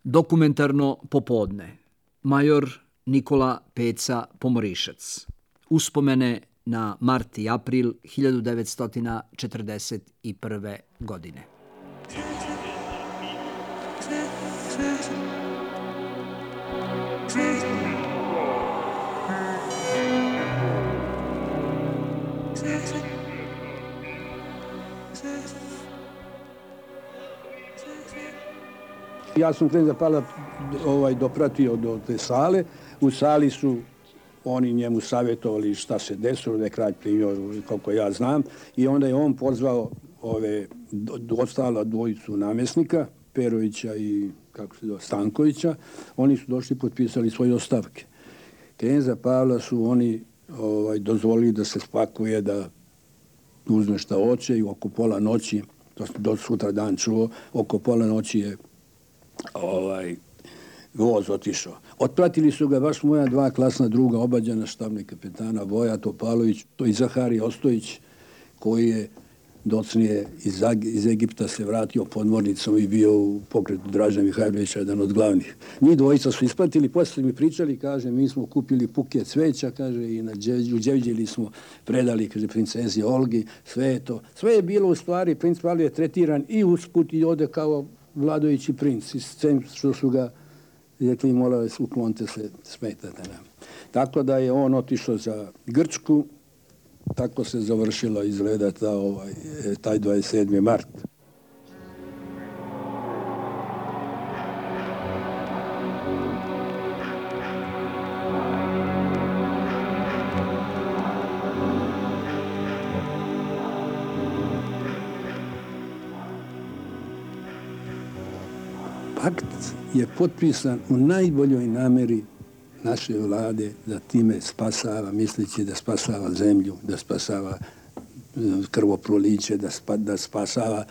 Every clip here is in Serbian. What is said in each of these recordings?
Dokumentarno popodne. Major Nikola Peca Pomorišac. Uspomene na mart i april 1941. godine. Ja sam kneza Pavla dopratio do te sale. U sali su oni njemu savjetovali šta se desilo, da je kralj primio, koliko ja znam. I onda je on pozvao ostala dvojicu namjesnika, Perovića i Stankovića. Oni su došli i potpisali svoje ostavke. Kneza Pavla su oni dozvolili da se spakuje, da uzme šta hoće i oko pola noći, to sam do sutra dan čuo, oko pola noći je voz otišao. Otpratili su ga baš moja dva klasna druga obađana, štabni kapetana Voja Topalović, to i Zaharij Ostojić, koji je docnije iz Egipta se vratio podmornicom i bio u pokretu Draža Mihajlovića, jedan od glavnih. Njih dvojica su ispratili, poslije mi pričali, kaže, mi smo kupili buket cveća, kaže, i u Đevđelji smo predali, kaže, princezi Olgi, sve je to. Sve je bilo u stvari, princ Pavle je tretiran i usput i ode kao vladajući princ, i s tem što su ga rekli, molave, uklonite se, smetate nam. Tako da je on otišao za Grčku, tako se završila izgleda taj 27. mart. Pakt je potpisan u najboljoj namjeri naše vlade da time spasava, misleći da spasava zemlju, da spasava krvoproliće, da spasava,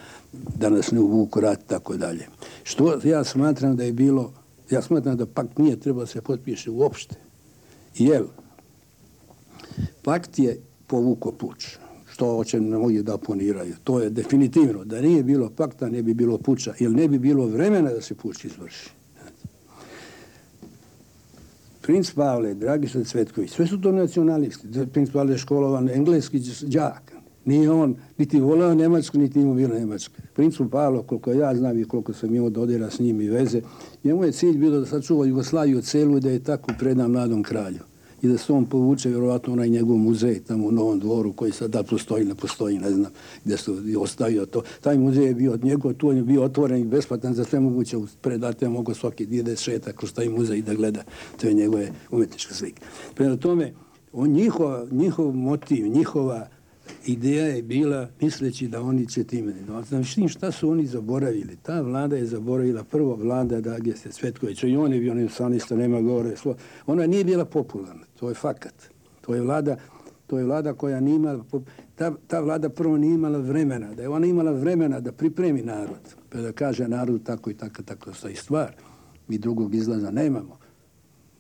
da nas ne uvuku rat, tako dalje. Što ja smatram da je bilo, ja smatram da pakt nije trebao se potpiše uopšte. Jer pakt je povukao puč, što hoće mnogi da oponiraju. To je definitivno. Da nije bilo pakta, ne bi bilo puča, jer ne bi bilo vremena da se puč izvrši. Princ Pavle, Dragiša Cvetković, sve su to nacionalisti. Princ Pavle je školovan engleski đak. Nije on niti voleo Njemačku, niti imao bilo Njemačke. Princu Pavlo, koliko ja znam i koliko sam imao dodira s njim i veze, njemu je cilj bilo da sačuva Jugoslaviju celu i da je tako preda mladom kralju. I da se on povuče, vjerovatno, onaj njegov muzej tamo u Novom Dvoru, koji sad da postoji, ne postoji, ne znam, gdje su ostavio to. Taj muzej je bio od njegov, tu on je bio otvoren i besplatan za sve moguće predate, mogo svaki ide šeta kroz taj muzej da gleda te njegove umetničke slike. Prema tome, njihov motiv, njihova ideja je bila misleći da oni će time. Znači, šta su oni zaboravili? Ta vlada je zaboravila, prvo vlada Dragiše Cvetkovića, i on je bio nacionalista, nema govore. Ona nije bila popularna, to je fakat. To je vlada koja nije imala, ta vlada prvo nije imala vremena, da je ona imala vremena da pripremi narod, pa da kaže narodu tako i tako stoji stvar. Mi drugog izlaza nemamo.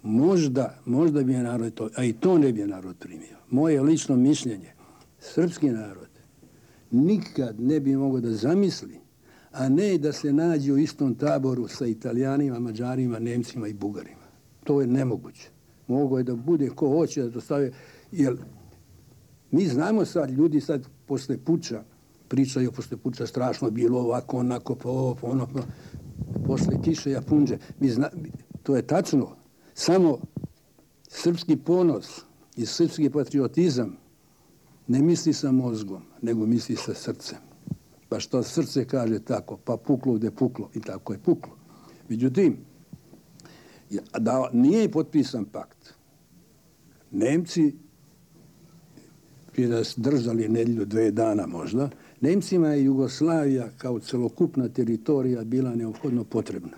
Možda bi je narod to, a i to ne bi je narod primio. Moje lično mišljenje, srpski narod nikad ne bi mogao da zamisli, a ne da se nađe u istom taboru sa Italijanima, Mađarima, Nemcima i Bugarima. To je nemoguće. Mogo je da bude ko hoće da to stave, jer mi znamo sad, ljudi sad posle puča, pričaju posle puča strašno bilo ovako, onako, ono, posle kiše japunđe. To je tačno. Samo srpski ponos i srpski patriotizam ne misli sa mozgom, nego misli sa srcem. Pa što srce kaže tako, pa puklo gde puklo, i tako je puklo. Međutim, da nije potpisan pakt, Nemci bi nas držali nedelju, 2 dana možda, Nemcima je Jugoslavija kao celokupna teritorija bila neophodno potrebna.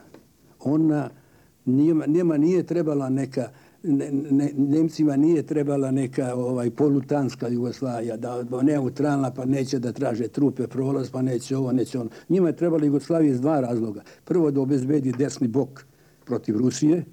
Njima nije trebala neka, Nemcima nije trebala neka polutanska Jugoslavija, da neutralna, pa neće da traže trupe prolaz, pa neće ovo, neće ono. Njima je trebala Jugoslavija iz 2 razloga. Prvo, da obezbedi desni bok protiv Rusije,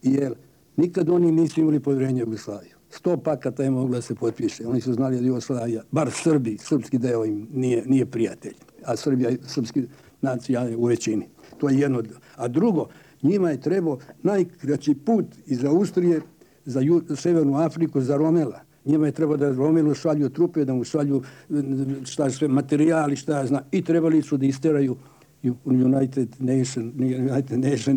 jer nikad oni nisu imali povjerenje u Jugoslaviju. 100 pakata je mogla da se potpiše. Oni su znali da Jugoslavija, bar Srbi, srpski deo im nije prijatelj, a Srbija, srpski nacija je u većini. To je jedno. A drugo, njima je trebao najkraći put iz Austrije za Severnu Afriku, za Romela. Njima je trebao da Romelu šalju trupe, da mu šalju sve materijali, i trebali su da isteraju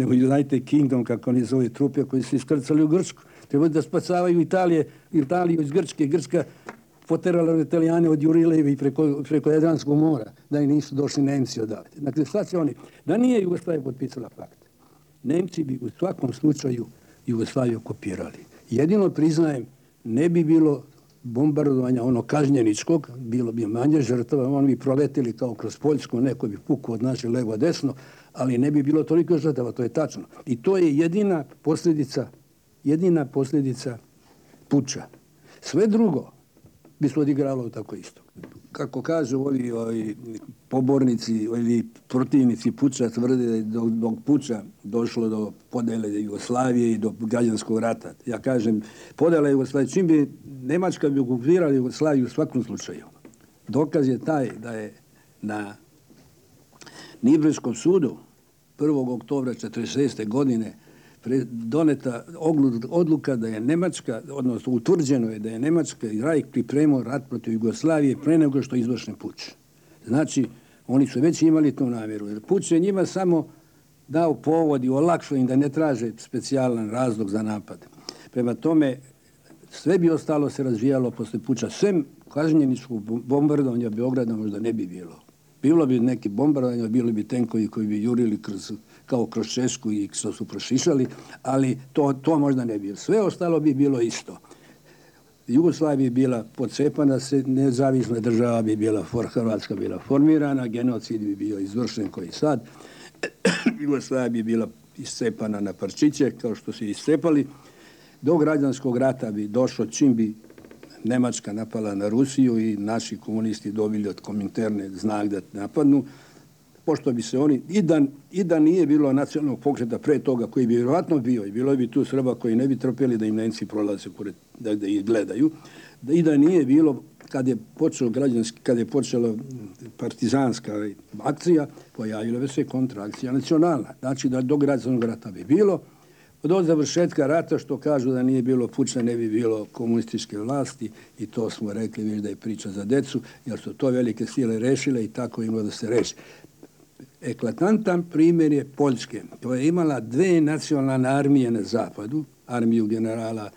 United Kingdom, kako oni zove, trupe koji su iskrcali u Grčku. Trebali da spasavaju Italiju iz Grčke. Grčka poterala Italijane od Jurilevi preko Jadranskog mora, da i nisu došli Nemci odavde. Dakle, šta će oni? Da nije Jugoslavija potpisala pakt, Nemci bi u svakom slučaju Jugoslaviju okupirali. Jedino priznajem, ne bi bilo bombardovanja kažnjeničkog, bilo bi manje žrtava, oni bi proletili kao kroz Poljsku, neko bi pukao od naše levo desno, ali ne bi bilo toliko žrtava, to je tačno. I to je jedina posljedica puča. Sve drugo bi se odigralo tako isto. Kako kažu ovi pobornici ili protivnici puča, tvrde da je do puča došlo do podele Jugoslavije i do građanskog rata. Ja kažem, podela Jugoslavije, čim bi Nemačka bi okupirala Jugoslaviju u svakom slučaju. Dokaz je taj da je na Nirnberškom sudu 1. oktobra 1946. godine doneta odluka da je Nemačka, odnosno utvrđeno je da je Nemačka i Rajh pripremao rat protiv Jugoslavije pre nego što je izvršen puč. Znači, oni su već imali tu namjeru. Jer puč je njima samo dao povod i olakšao im da ne traže specijalan razlog za napad. Prema tome, sve bi ostalo se razvijalo posle puča. Sve kažnjeničkog bombardovanja Beograda možda ne bi bilo. Bilo bi neki bombardovanja, bilo bi tenkovi koji bi jurili kao kroz Češku i što su prošišali, ali to možda ne bi bilo. Sve ostalo bi bilo isto. Jugoslavija bi bila pocepana, nezavisna država bi bila, Hrvatska bila formirana, genocid bi bio izvršen koji sad. Jugoslavija bi bila iscepana na parčiće, kao što su iscepali. Do građanskog rata bi došlo čim bi Nemačka napala na Rusiju i naši komunisti dobili od Kominterne znak da napadnu, pošto bi se oni, i da nije bilo nacionalnog pokreta pre toga, koji bi vjerovatno bio, i bilo bi tu Srba koji ne bi trpjeli da im Nemci prolaze pored, da ih gledaju, i da nije bilo, kad je počela partizanska akcija, pojavila bi se kontraakcija nacionalna. Znači da do građanskog rata bi bilo. Od završetka rata, što kažu da nije bilo puča, ne bi bilo komunističke vlasti, i to smo rekli već da je priča za decu, jer su to velike sile rešile i tako imalo da se reši. Eklatantan primjer je Poljske, koja je imala dve nacionalne armije na zapadu, armiju generala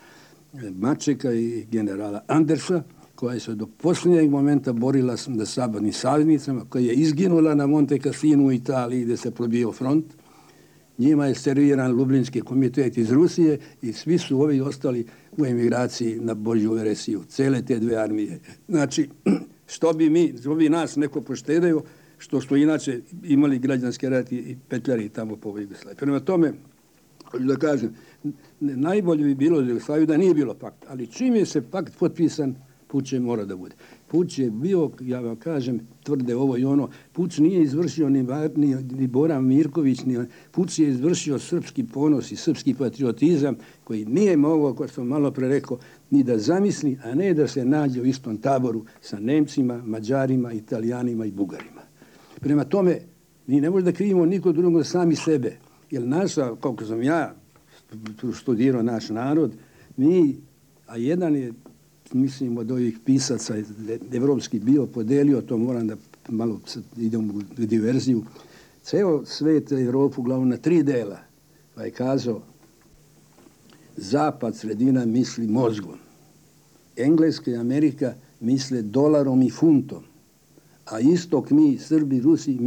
Mačeka i generala Andersa, koja se do posljednjeg momenta borila sa zapadnim saveznicama, koja je izginula na Monte Cassinu u Italiji gdje se probio front. Njima je serviran Lublinski komitet iz Rusije i svi su ovi ostali u emigraciji na Božju veresiju. Cele te dve armije. Znači, što bi nas neko poštedeo, što smo inače imali građanske rati i petljari tamo po Jugoslaviji. Prema tome, da kažem, najbolje bi bilo za Jugoslaviju da nije bilo pakt, ali čim je se pakt potpisan, puč je mora da bude. Puč je bio, ja vam kažem, tvrde ovo i ono, puč nije izvršio ni Bora Mirković, puč je izvršio srpski ponos i srpski patriotizam koji nije mogao, kao sam malo pre rekao, ni da zamisli, a ne da se nađe u istom taboru sa Nemcima, Mađarima, Italijanima i Bugarima. Prema tome, mi ne možemo da krivimo niko drugo sami sebe, jer naša, koliko sam ja studirao naš narod, a jedan je, mislim, od ovih pisaca evropski bio podelio, to moram da malo idem u diverziju, ceo svet Evropu uglavnom na 3 dela, pa je kazao, zapad, sredina misli mozgom, Engleska i Amerika misle dolarom i funtom, a istok mi, Srbi, Rusi,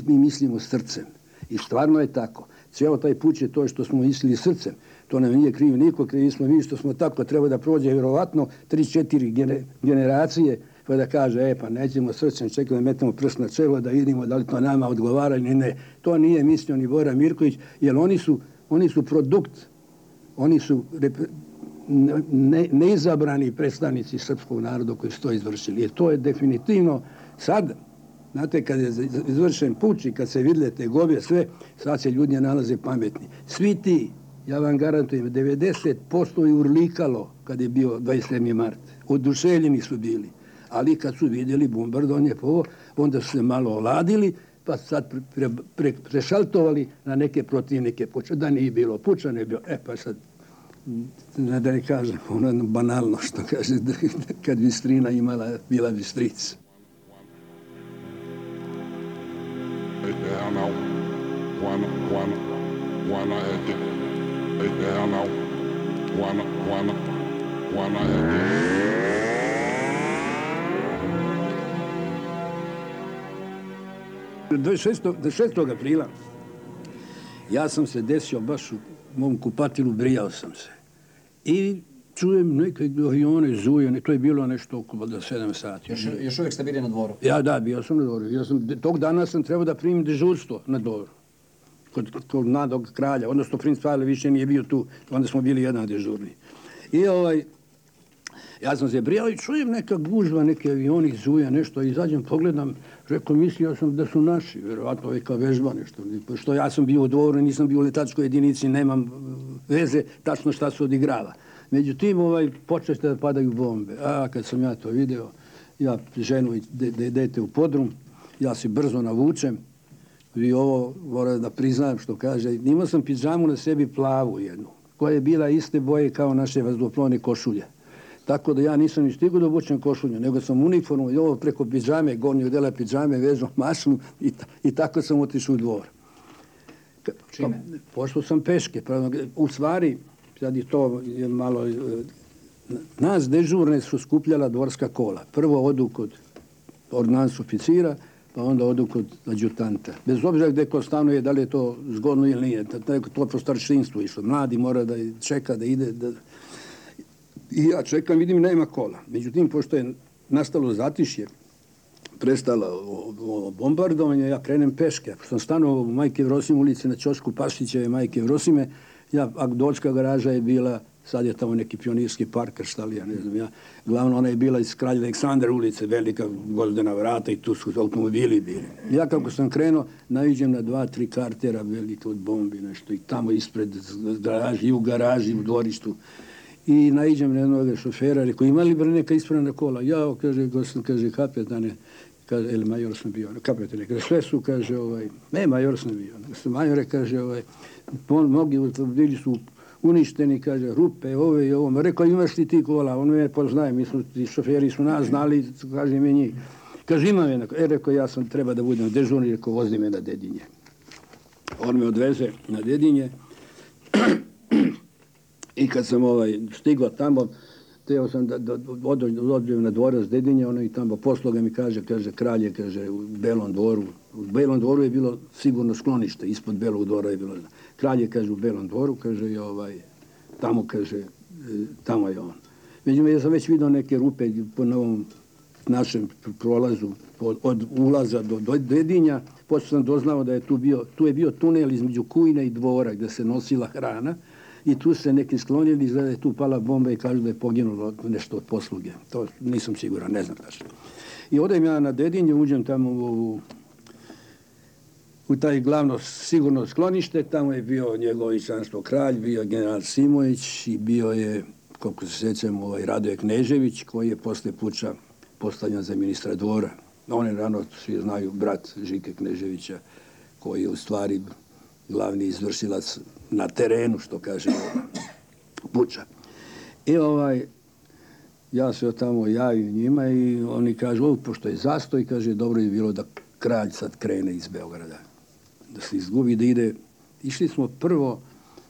mi mislimo srcem. I stvarno je tako. Ceo taj put je to što smo mislili srcem. To nam nije kriv niko, krivi smo mi što smo tako. Treba da prođe vjerovatno 3-4 generacije pa da kaže, pa nećemo srcem, čekaj da metemo prst na čelo da vidimo da li to nama odgovara ili ne. To nije mislio ni Bora Mirković, jer oni su produkt, oni su neizabrani predstavnici srpskog naroda koji su to izvršili. Jer to je definitivno sad, znate, kad je izvršen puč i kad se vidle te gobe, sve, sad se ljudi nalaze pametni. Svi ti, ja vam garantujem, 90% je urlikalo kad je bio 27. mart. Oduševljeni su bili. Ali kad su vidjeli bombardovanje, onda su se malo oladili, pa sad prešaltovali na neke protivnike puča. Da nije bilo puča, ne bilo. Pa sad, da ne kažem, ono banalno što kaže, kad Bistrina bila Bistrica. Do 6. aprila ja sam se desio baš u mom kupatilu, brijao sam se. I čujem neke avione zuje, to je bilo nešto oko 7 sati. Još uvijek ste bili na dvoru? Da, bio sam na dvoru. Tog dana sam trebao da primim dežurstvo na dvoru. Kod mladog kralja, odnosno princ Pavle više nije bio tu, onda smo bili jedan dežurni. I ja sam se brijao i čujem neka gužva, neke avioni zuje, nešto, izađem, pogledam, rekao, mislio sam da su naši, vjerovatno neka vežba nešto, što ja sam bio u dvoru, nisam bio u letačkoj jedinici, nemam veze tačno šta se odigrava. Međutim, počešte da padaju bombe. Kad sam ja to video, ja ženu i dete u podrum, ja se brzo navučem i ovo moram da priznam što kaže, imao sam pidžamu na sebi plavu jednu, koja je bila iste boje kao naše vazduhoplovne košulje. Tako da ja nisam ni stigao da obučem košulju, nego sam uniformu i ovo preko pidžame, gornjeg dela pidžame, vezao mašnu i tako sam otišao u dvor. Čime? Pošao sam peške. U stvari, sad je to malo... Nas dežurne su skupljala dvorska kola. Prvo odu kod ordonans oficira, pa onda odu kod adjutanta. Bez obzira gde ko stanuje, da li je to zgodno ili nije. To po staršinstvu išlo. Mladi mora da čeka, da ide... I ja čekam, vidim, nema kola. Međutim, pošto je nastalo zatišje, prestalo bombardovanje, ja krenem peške. Pošto sam stanovao u Majke Jevrosime ulici na ćošku Pašićeve Majke Jevrosime, Agdolska garaža je bila, sad je tamo neki pionirski parker, šta li ja ne znam ja. Glavno, ona je bila iz Kralja Aleksandra ulice, velika gvozdena vrata i tu su automobili bili. Ja kako sam krenuo, naiđem na 2-3 kartera velike od bombi, nešto, i tamo ispred garaži, i u garaži, u dvorištu. I naiđem na jednog šofera, rekao, imali li neka ispravna kola? Ja, kaže, kapetane, ili major sam bio, kapetane, kaže, sve su, kaže, major sam bio. Majore, kaže, mnogi automobili su uništeni, kaže, rupe, ove i ovo. Rekao, imaš li ti kola? On me poznaje, ti šoferi su nas znali, kaže mi njih. Kaže, imam je. Rekao, ja sam treba da budem dežurni, rekao, vozi me na Dedinje. On me odveze na Dedinje. I kad sam stigao tamo, teo sam da odem na dvorac Dedinje, ono i tamo posloga mi kaže, kralj je, kaže, u Belom dvoru. U Belom dvoru je bilo sigurno sklonište, ispod Belog dvora je bilo. Kralj je, kaže, u Belom dvoru, kaže, tamo, kaže, tamo je on. Međutim, ja sam već vidio neke rupe po novom našem prolazu, od ulaza do Dedinja, pošto sam doznao da je tu je bio tunel između Kujne i dvora gde se nosila hrana, i tu se neki sklonili, da je tu pala bomba i kažu da je poginulo nešto od posluge. To nisam siguran, ne znam tačno. I odem ja na Dedinje, uđem tamo u taj glavno sigurno sklonište, tamo je bio njegovičanstvo kralj, bio general Simović i bio je, koliko se sjećam, Radoje Knežević, koji je posle puča postavljen za ministra dvora. On je rano, svi znaju, brat Žike Kneževića, koji je u stvari glavni izvršilac na terenu, što kaže puča. I ja se tamo javim njima i oni kažu, pošto je zastoj, kaže, dobro je bilo da kralj sad krene iz Beograda. Da se izgubi, da ide. Išli smo prvo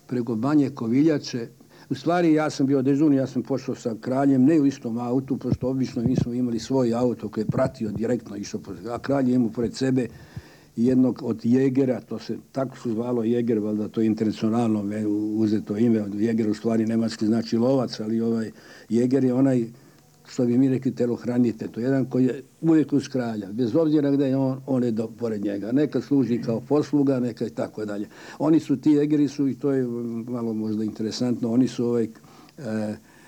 preko Banje Koviljače. U stvari, ja sam bio dežurni, ja sam pošao sa kraljem, ne u istom autu, pošto obično mi smo imali svoj auto koji je pratio direktno, išao, a kralj je imao pored sebe jednog od jegera, to se tako su zvalo jeger, valjda to je internacionalno uzeto ime, od jeger u stvari nemački znači lovac, ali jeger je onaj, što bi mi rekli, telohranitelj, to je jedan koji je uvijek uz kralja, bez obzira gde je on je pored njega, nekad služi kao posluga, nekad i tako dalje. Oni su, ti jegeri su, i to je malo možda interesantno, oni su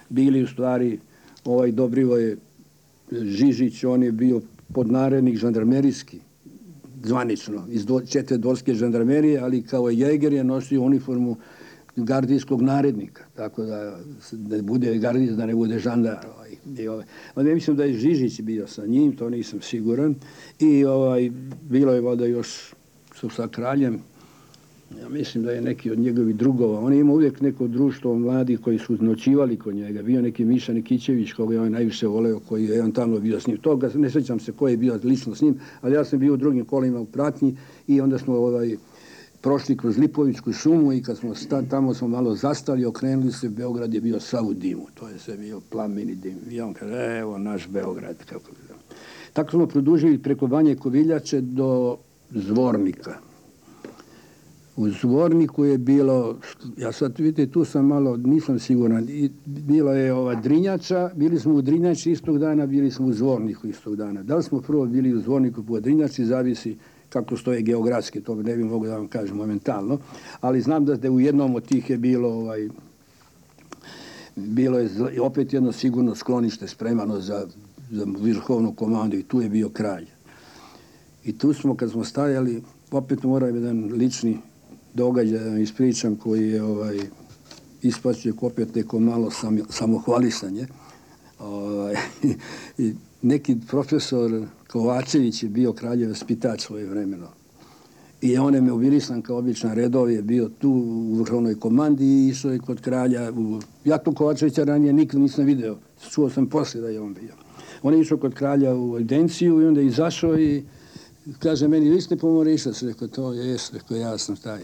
bili u stvari, Dobrivoje Žižić, on je bio podnarednik žandarmerijski, zvanično, iz 4. dvorske žandarmerije, ali kao jeger je nosio uniformu gardijskog narednika, tako da ne bude gardist, da ne bude žandar. Onda mislim da je Žižić bio sa njim, to nisam siguran. I bilo je voda još sa kraljem. Ja mislim da je neki od njegovih drugova. On je imao uvijek neko društvo mladih koji su noćivali kod njega. Bio neki Miša Nikićević, koga je on najviše voleo, koji je on tamo bio s njim. Toga ne sjećam se ko je bio lično s njim, ali ja sam bio u drugim kolima u pratnji i onda smo prošli kroz Lipovičku šumu i kad smo tamo smo malo zastali, okrenuli se, Beograd je bio sav u dimu. To je sve bio plameni dim. I on kaže, evo naš Beograd. Tako smo produžili preko Banje Koviljače do Zvornika. U Zvorniku je bilo, ja sad vidite, tu sam malo, nisam siguran, bilo je Drinjača, bili smo u Drinjači istog dana, bili smo u Zvorniku istog dana. Da li smo prvo bili u Zvorniku po Drinjači, zavisi kako stoje geografski, to ne bih mogu da vam kažem momentalno, ali znam da u jednom od tih je bilo je opet jedno sigurno sklonište spremano za vrhovnu komandu i tu je bio kralj. I tu smo, kad smo stajali, opet moram jedan lični događaj da vam ispričam koji je ispašće opet neko malo samohvalisanje. I neki profesor Kovačević je bio kraljev vaspitač svoje vremeno. I on je me uvilisan kao običan redov, je bio tu u vrhovnoj komandi i išao je kod kralja. Ja tu Kovačevića ranije nikad nisam video. Čuo sam poslije da je on bio. On je išao kod kralja u evidenciju i onda je izašao i kaže meni, vi ste Pomorišac? Rekao, to jes, rekao, ja sam taj.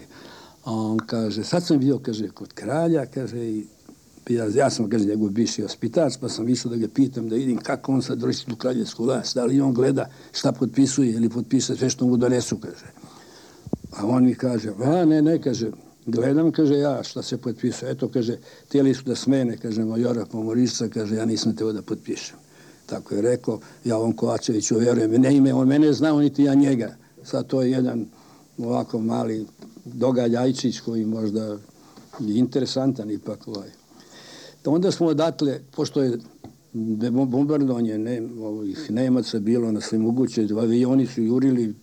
A on kaže, sad sam bio, kaže, kod kralja, kaže, i ja sam, kaže, njegov bivši vaspitač, pa sam išao da ga pitam, da vidim kako on sad vrši tu kraljevsku vlast, da li on gleda šta potpisuje ili potpiše sve što mu donesu, kaže. A on mi kaže, ne, kaže, gledam, kaže, ja šta se potpisuje. Eto, kaže, htjeli su da smene, kaže, majora Pomorišca, kaže, ja nisam teo da potpišem. Tako je rekao, ja ovom Kovačeviću vjerujem, ne ime, on mene znao, niti ja njega. Sad to je jedan ovako mali događajčić koji možda je interesantan ipak. Onda smo odatle, pošto je bombardovanje ovih Nemaca bilo na sve moguće, avioni su jurili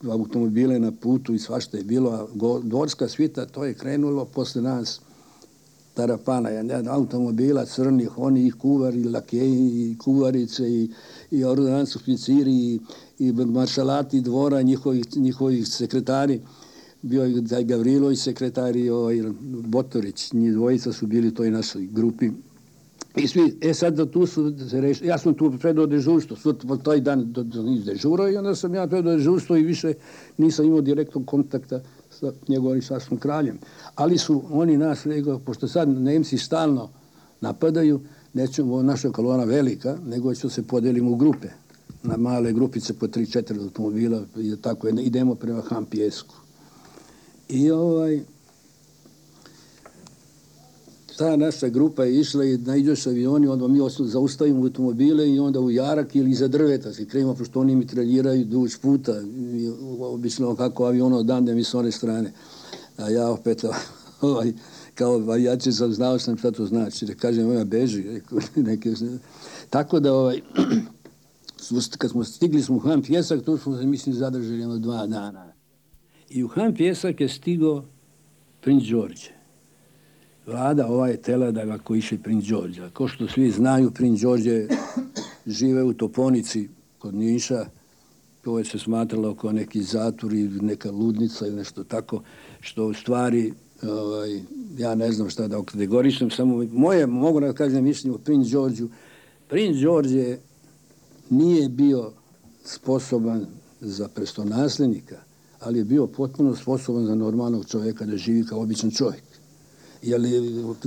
automobile na putu i svašta je bilo, a dvorska svita, to je krenulo posle nas tarapana, automobila crnih, oni i kuvari, lakeji, i kuvarice, i ordonanci oficiri, i maršalati dvora, njihovi sekretari, bio je Gavrilović sekretar i Botorić, njih dvojica su bili u toj našoj grupi. I svi, sad tu su se rešili, ja sam tu predao dežurstvo, taj dan dežurao i onda sam ja predao dežurstvo i više nisam imao direktnog kontakta sa njegovim sasvom kraljem. Ali su oni nas, pošto sad Nemci stalno napadaju, nećemo naša kolona velika, nego ćemo se podelimo u grupe, na male grupice po 3-4 automobila i tako idemo prema Hampijesku. I ta naša grupa je išla i naiđeš avioni, onda mi zaustavimo automobile i onda u jarak ili iza drveta se krenemo, pošto oni mitraljiraju duž puta, obično kako avion odande mi s one strane. A ja opet, kao avijači sam znao sam šta to znači, da kažem, ja beži. Tako da, kad smo stigli u Han Pjesak, tu smo se, mislim, zadržali 2 dana. I u Han Pjesak je stigao princ Đorđe. Vlada je tela da ga kojiše princ Đorđe. Ko što svi znaju, princ Đorđe žive u Toponici kod Niša. To je se smatralo kao neki zatvor i neka ludnica ili nešto tako, što u stvari, ja ne znam šta da kategorišem, samo mogu da kažem mišljenje o princ Đorđu. Princ Đorđe nije bio sposoban za prestolonaslednika, ali je bio potpuno sposoban za normalnog čovjeka da živi kao običan čovjek. Jer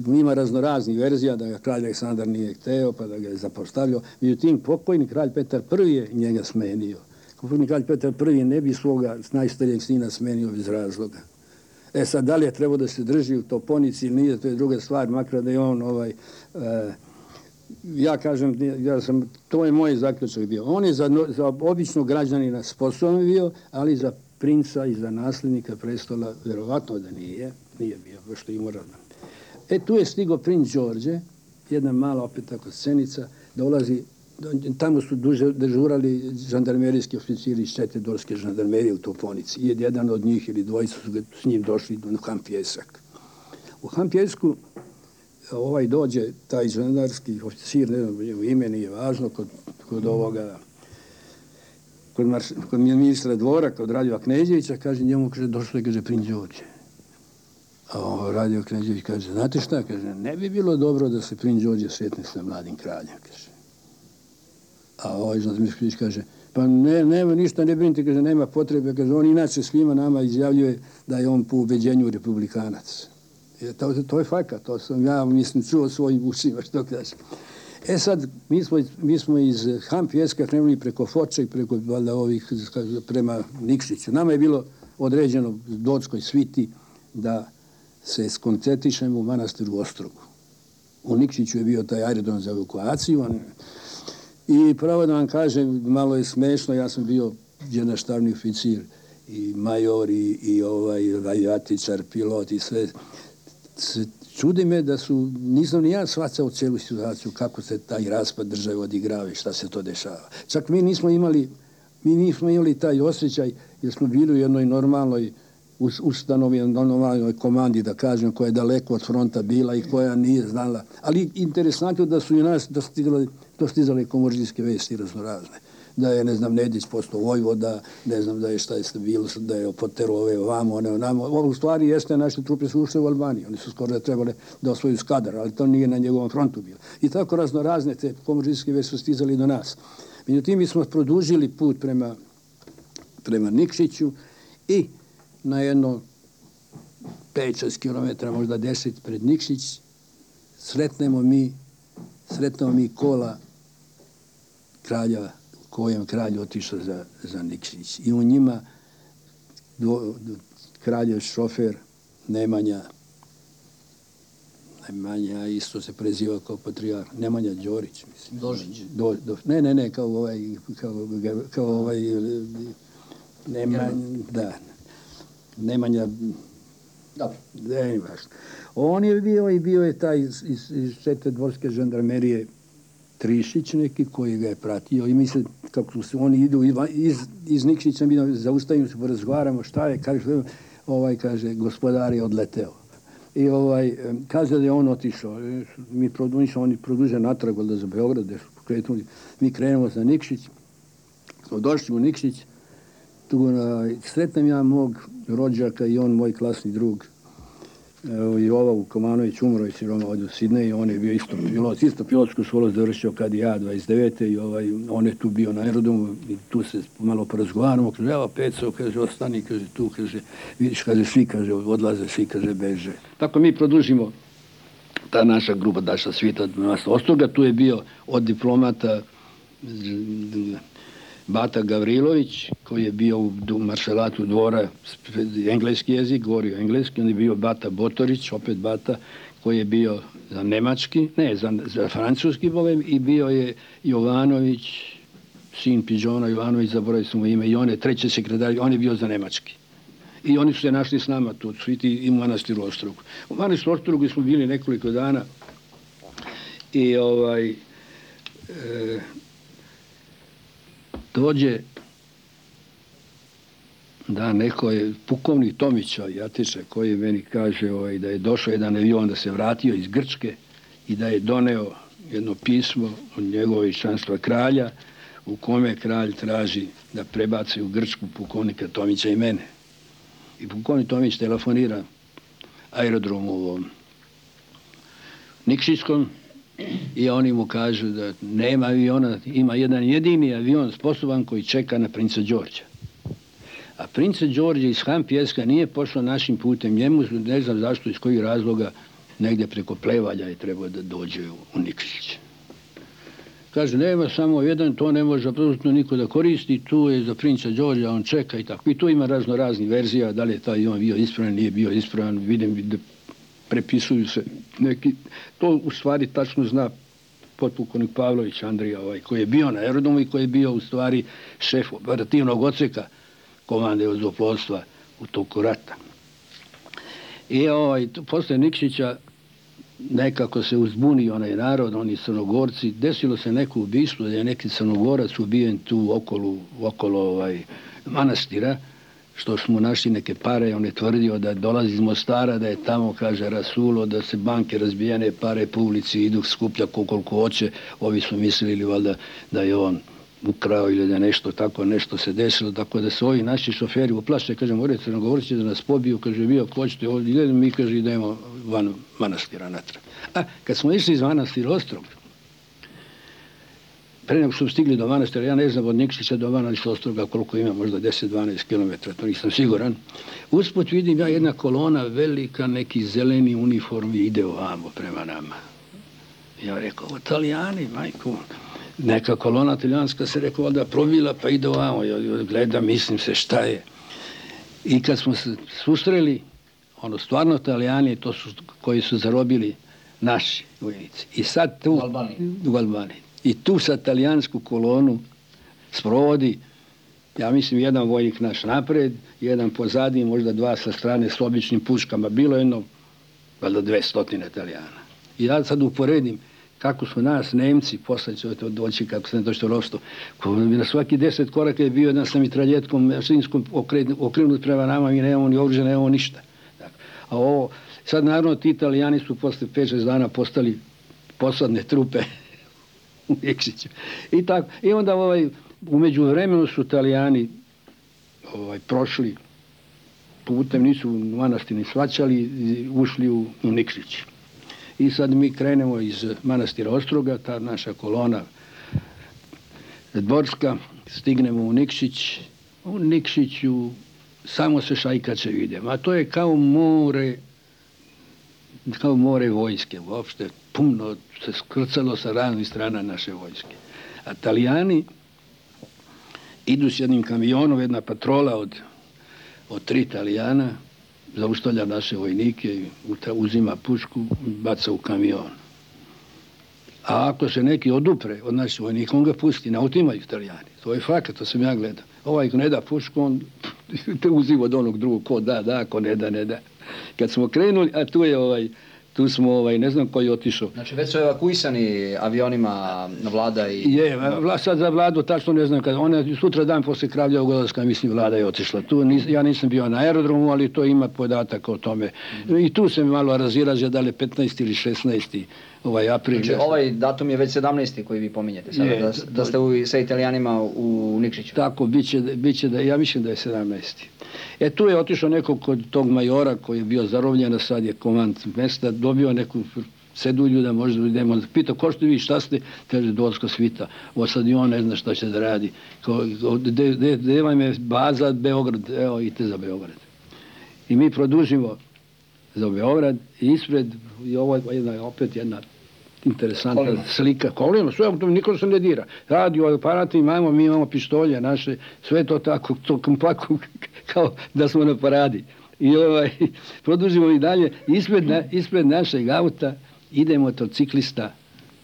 ima raznoraznih verzija da ga kralj Aleksandar nije hteo, pa da ga je zapostavljao. Međutim, pokojni kralj Petar I je njega smenio. Pokojni kralj Petar I ne bi svoga najstarijeg sina smenio bez razloga. Sad, da li je trebao da se drži u Toponici ili nije, to je druga stvar, makar da je on ja kažem, to je moj zaključak bio. On je za običnog građanina sposoban bio, ali za princa i za nasljednika prestola vjerovatno da nije bio, što je moralan. Tu je stigao princ Đorđe, jedna mala opet tako scenica, dolazi, tamo su dežurali žandarmerijski oficiri iz 4. dorske žandarmerije u Toponici. Jedan od njih ili dvojica su s njim došli u Han Pjesak. U Hampjesku dođe taj žandarski oficir, ne znam, ime nije važno, kod ovoga, kod ministra dvora, kod Radova Kneževića, kaže njemu, kaže, došlo je, kaže, princ Đorđe. A Radio Knežević kaže, znate šta, kaže, ne bi bilo dobro da se princ Đorđe sretne sa mladim kraljem, kaže. A ovaj Žandarski kaže, pa nema ništa, ne brinite, kaže, nema potrebe, kaže, on inače svima nama izjavljuje da je on po ubeđenju republikanac. To je fakat, to sam ja, mislim, čuo svojim ušima, što kaže. Sad, mi smo iz Hampjeska krenuli preko Foče i preko valjda ovih prema Nikšiću. Nama je bilo određeno Dočkoj sviti da se skoncentrišemo u manastiru Ostrogu. U Nikšiću je bio taj aerodrom za evakuaciju. I pravo da vam kažem, malo je smešno, ja sam bio generalni oficir i major i avijatičar, pilot i sve. Čudi me da nisam ni ja shvaćao cijelu situaciju kako se taj raspad države odigrava i šta se to dešava. Čak mi nismo imali taj osjećaj jer smo bili u jednoj normalnoj ustanovi, normalnoj komandi, da kažem, koja je daleko od fronta bila i koja nije znala. Ali interesantno da su i nas dostizale komoržijske vesti raznorazne. Da je, ne znam, Nedić postao vojvoda, ne znam da je šta je bilo, da je potero ove ovamo, one onamo. Ovo u stvari jeste, naše trupe su ušle u Albaniju. Oni su skoro da trebali da osvoju Skadar, ali to nije na njegovom frontu bilo. I tako raznorazne te komoržijske vesti su stizali do nas. Međutim, mi smo produžili put prema Nikšiću i na jedno 5-6 km, možda 10 pred Nikšić, sretnemo mi kola kralja, kojem kralj otišao za Nikšić. I u njima kraljev šofer Nemanja isto se preziva kao patrijarh, Nemanja Đorić, mislim. Dožić. Ne, kao Nemanja, Dobro. Ne, važno. On je bio je taj iz Čete dvorske žandarmerije Trišić neki koji ga je pratio i misle kako su oni idu iz Nikšića, mi zaustavimo se, porazgovaramo šta je, kaže, gospodar je odleteo. I kaže da je on otišao. Oni produže natrag valjda za Beograd, mi krenemo za Nikšić, smo došli u Nikšić, tu sretnem ja mog rođaka i on moj klasni drug Jova Vukomanović, umro je siroma ovdje u Sidneju, on je bio isto pilotsku školu završio kad i ja 29. i on je tu bio na aerodromu i tu se malo porazgovaramo, kaže, evo Peco, kaže, ostani, kaže, tu, kaže, vidiš, kaže, svi, kaže, odlaze, svi, kaže, beže. Tako mi produžimo ta naša grupa Daša Svita nas Ostroga, tu je bio od diplomata Bata Gavrilović, koji je bio u maršalatu dvora, engleski jezik, govorio engleski, on je bio Bata Botorić, opet Bata, koji je bio za nemački, ne, za francuski bovem, i bio je Jovanović, sin Pidžona Jovanović, zaboravio sam mu ime, i on je treći sekretar, on je bio za nemački. I oni su se našli s nama tu, Sviti i u manastiru Ostrogu. U manastiru Ostrogu smo bili nekoliko dana i dođe da neko je pukovnik Tomića, Jatiče, koji meni kaže da je došao jedan avion, da se vratio iz Grčke i da je doneo jedno pismo od njegovog veličanstva kralja u kome kralj traži da prebaci u Grčku pukovnika Tomića i mene. I pukovnik Tomić telefonira aerodromu u Nikšićskom i oni mu kažu da nema aviona, ima jedan jedini avion sposoban koji čeka na princa Đorđa. A princa Đorđa iz Hampjeska nije pošao našim putem. Njemu, ne znam zašto, iz kojih razloga, negdje preko Plevalja je trebao da dođe u Nikšić. Kaže, nema samo jedan, to ne može apsolutno niko da koristi, tu je za princa Đorđa, on čeka i tako. I tu ima raznih verzija, da li je taj avion bio ispravan, nije bio ispravan, vidim da prepisuju se neki, to u stvari tačno zna potpukovnik Pavlović Andrija, koji je bio na aerodromu i koji je bio u stvari šef operativnog odseka komande vazduhoplovstva u toku rata. I posle Nikšića nekako se uzbuni onaj narod, oni Crnogorci, desilo se neko ubistvo, da je neki Crnogorac ubijen tu okolo manastira, što smo našli neke pare, on je tvrdio da dolazi iz Mostara, da je tamo, kaže, rasulo, da se banke razbijene pare po ulici idu skuplja koliko hoće. Ovi su mislili valjda da je on ukrao ili da nešto tako, nešto se desilo, tako da se ovi naši šoferi uplaše, kaže, morate nam govoriti da nas pobiju, kaže, vi ako hoćete ovdje idemo, mi, kaže, idemo van manastira natrag. A kad smo išli iz manastira Ostroga, pre nego su stigli do manastira, ja ne znam od Nikšića do manastira Ostroga koliko ima, možda 10-12 km, to nisam siguran. Usput vidim ja jedna kolona velika, neki zeleni uniformi ide ovamo prema nama. Ja rekao, ovo Italijani, majko, neka kolona italijanska se rekao da probila pa ide ovamo, ja gledam, mislim se šta je. I kad smo se susreli, ono stvarno Italijani, to su koji su zarobili naši vojnici. I sad tu u Albaniji. I tu sa talijansku kolonu sprovodi, ja mislim, jedan vojnik naš napred, jedan pozadi, možda dva sa strane s običnim puškama. Bilo jedno, valjda 200 Italijana. I ja sad uporedim kako su nas Nemci, posle će to doći kako se ne doći to ropstvo, na svaki 10 koraka je bio jedan sa mitraljetkom mašinskom okrenut prema nama, mi nemamo ni oružja, nemamo ništa. A ovo, sad naravno ti Italijani su posle 5-6 dana postali posadne trupe u Nikšiću. I tako. I onda u međuvremenu su Italijani prošli putem, nisu manastir ni svaćali, ušli u Nikšić. I sad mi krenemo iz manastira Ostroga, ta naša kolona dvorska, stignemo u Nikšić. U Nikšiću samo se šajkače vide. A to je kao more vojske uopšte. Puno se skrcalo sa raznih strana naše vojske. A Italijani idu s jednim kamionom, jedna patrola od 3 Italijana, zaustavlja naše vojnike, uzima pušku i baca u kamion. A ako se neki odupre od naših vojnika, on ga pusti, ne otimaju Italijani. To je fakat, to sam ja gledao. Ovaj ko ne da pušku, on te uzima od onog drugog, ko da, ko ne da, ne da. Kad smo krenuli, a tu smo, ne znam ko je otišao. Znači već su evakuisani avionima Vlada i... Je, sad za Vladu tačno ne znam kada. Ona sutra dan posle Kravljevog odlaska, mislim, Vlada je otišla. Ja nisam bio na aerodromu, ali to ima podatak o tome. I tu se malo razilaže da li 15. ili 16. april. Znači ovaj datum je već 17. koji vi pominjete sada, da ste sa Italijanima u Nikšiću. Tako, bit će da, ja mislim da je 17. Tu je otišao neko kod tog majora koji je bio zarobljen, a sad je komand mesta, dobio neku cedulju da možda idemo. Pitao, ko ste vi, šta ste? Kaže, Dolska svita. Ovo sad i on ne zna šta će da radi. Gde vam je baza Beograd? Evo, idite za Beograd. I mi produžimo za Beograd i ispred, i ovo je opet jedna interesantna slika. Kolima, sve, niko se ne dira. Radio aparati imamo, mi imamo pištolje naše, sve to tako, to kompaku, kao da smo na paradi. I produžimo i dalje. Ispred našeg auta ide motociklista,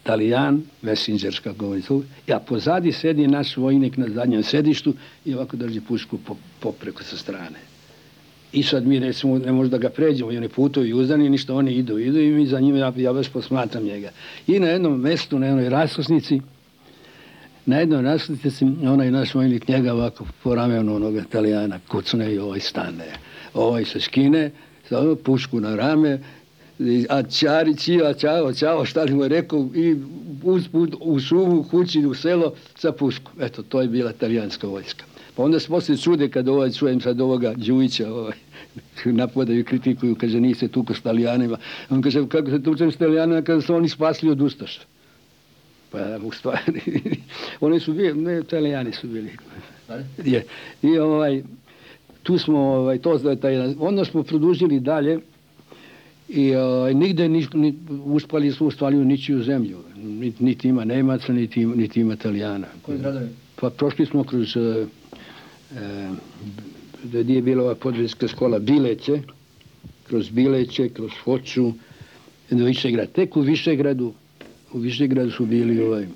Talijan, Messenger, kako govori tu, a pozadi sedi naš vojnik na zadnjem sedištu i ovako drži pušku popreko sa strane. I sad mi recimo ne možda ga pređemo, i oni putovi uzdani, ništa, oni idu i mi za njima, ja već posmatram njega. I na jednom mestu, na jednoj raskrsnici, onaj naš vojnik njega ovako po ramenu onoga Italijana kucne i stane. Se skine, pušku na rame, a čao, šta li mu je rekao, i usput u šumu, kući, u selo, sa pušku. Eto, to je bila italijanska vojska. Pa onda se poslije čude kad čujem sad ovoga Đujića, napadaju i kritikuju, kaže, nije se tuko s Italijanima. On kaže, kako se tučem s Italijanima, kada su oni spasli od Ustaša. Pa u stvari, oni su bili, ne, Italijani su bili. I tu smo, onda smo produžili dalje i nigde uspali su u ničiju zemlju. Niti ima Nemaca, niti ima Italijana. Koji gradovi? Pa prošli smo kroz gdje je bila ova podvijeska škola Bileće, kroz Foču, do Višegrada. Tek u Višegradu su bili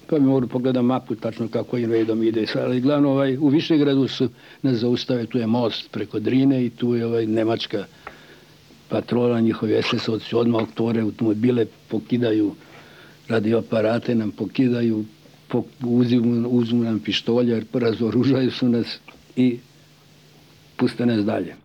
pa mi mogu pogledati mapu tačno kako im redom ide. Ali glavno u Višegradu su nas zaustave, tu je most preko Drine i tu je nemačka patrola, njihovi SS-ovci odmah otvore automobile, pokidaju radioaparate, nam pokidaju, uzmu nam pištolje, razoružaju su nas i Pustite nas dalje.